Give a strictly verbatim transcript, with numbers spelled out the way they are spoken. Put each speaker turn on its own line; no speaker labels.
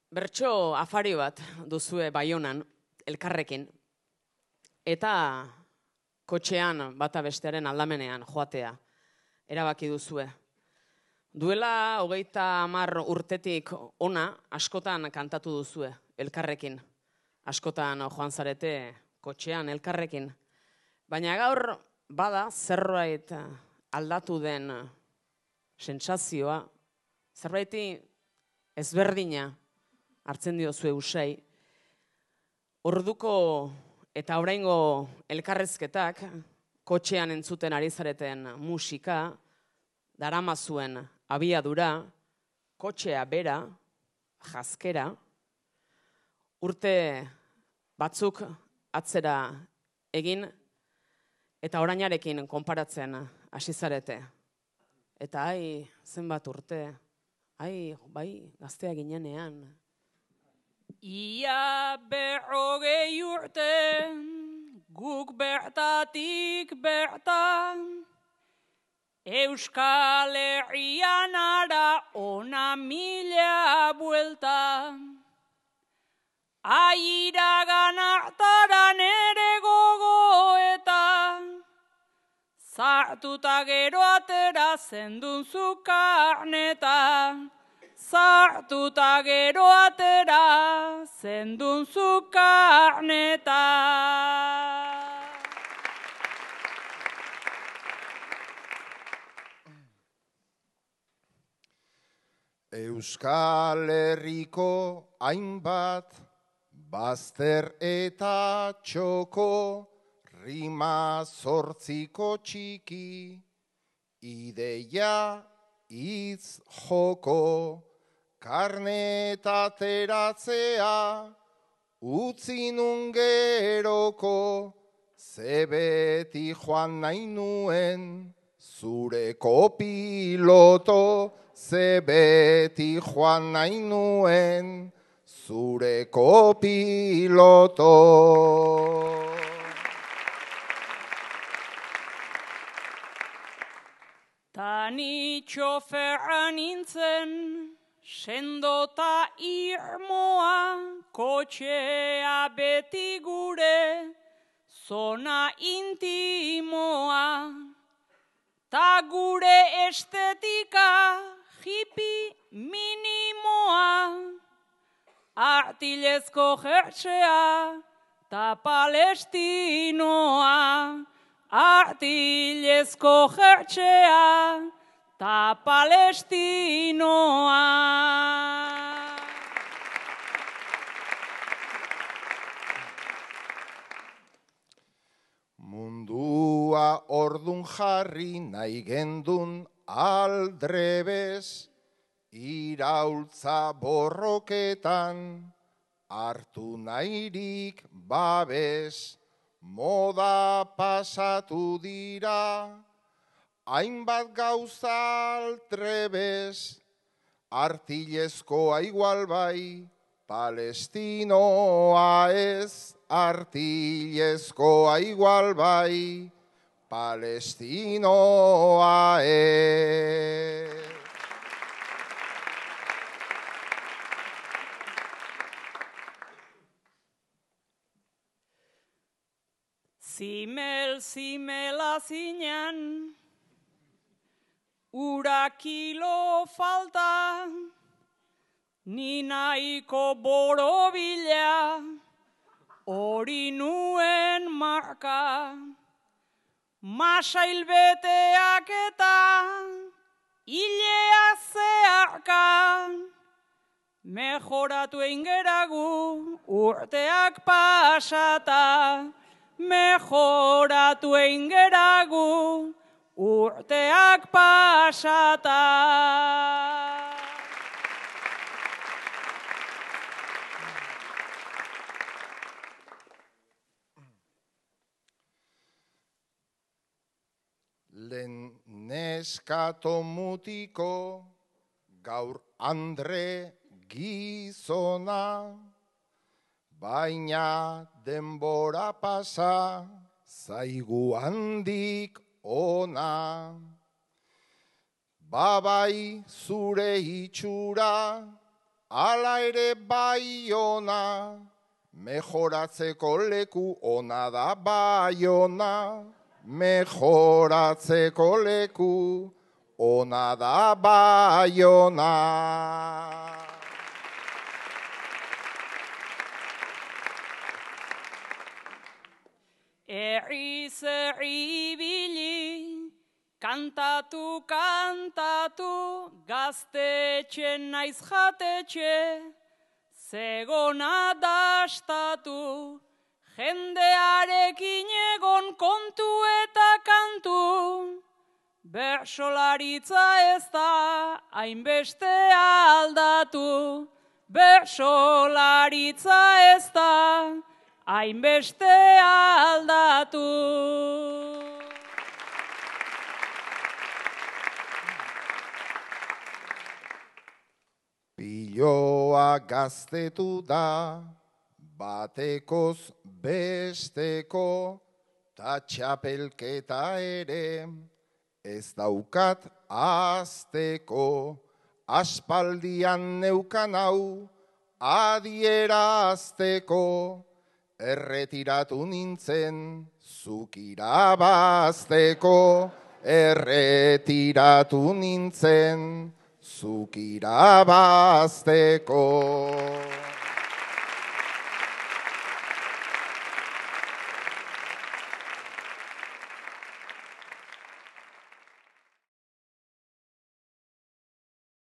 Bertso afari bat duzue Baionan, elkarrekin, eta kotxean bata bestearen aldamenean joatea erabaki duzue. Duela hogeita hamar urtetik ona askotan kantatu duzue elkarrekin. Askotan joan zarete kotxean elkarrekin. Baina gaur bada zerbait aldatu den sentsazioa, zerbaiti ezberdina hartzen diozue usai. Orduko eta oraingo elkarrezketak, kotxean entzuten ari zareten musika, daramazuen abiadura, kotxea bera, jazkera, urte batzuk atzera egin eta orainarekin konparatzen hasi zarete. Eta ai, zenbat urte, ai, bai, gaztea ginenean.
Ia berrogei urte, guk bertatik bertan, Euskal Herrian ara ona mila buelta. Airagan hartaran ere gogoeta, zartuta gero atera zendun zukarneta. Zartuta gero atera zendun zukarneta.
Euskal Herriko hainbat bazter eta txoko, rima zortziko txiki, ideia hitz joko, karnetateratzea, utzi nun geroko, ze beti joan nahi nuen, zure kopiloto, ze beti joan nahi nuen, zure kopiloto.
Tani txoferra nintzen, sendota irmoa, kotxea beti gure, zona intimoa. Ta gure estetika, hippie minimoa, artilezko jertsea, ta palestinoa. Artilezko jertsea, ta palestinoa.
Mundua ordun jarri nahi gendun aldrebez, iraultza borroketan, hartu nahirik babes. Moda pasatu dira, hainbat gauza altrebez, artilezkoa igual bai, palestinoa ez, artilezkoa igual bai, palestinoa ez.
Zimel, zimela zinan, ura kilo falta, ni nahiko borobila, hori nuen marka. Masail beteak eta hilea zeharka, mejoratu eingeragu urteak pasata. Mejoratu eingeragu urteak pasata.
Lehen neskato mutiko, gaur andre gizona, baina denbora pasa, zaigu handik ona. Babai zure itxura, ala ere Baiona, mejoratzeko leku ona da Baiona, mejoratzeko leku ona da Baiona.
Erriz erribili, kantatu, kantatu, gaztetxe naiz jatetxe, zegona dastatu, jendearekin egon kontu eta kantu, bersolaritza ez da hainbeste aldatu, bersolaritza ez da hainbeste aldatu.
Piloa gaztetu da, batekoz besteko, ta txapelketa ere, ez daukat azteko, aspaldian neukan hau, adierazteko, erretiratu nintzen, zuk irabazteko, erretiratu nintzen, zuk irabazteko.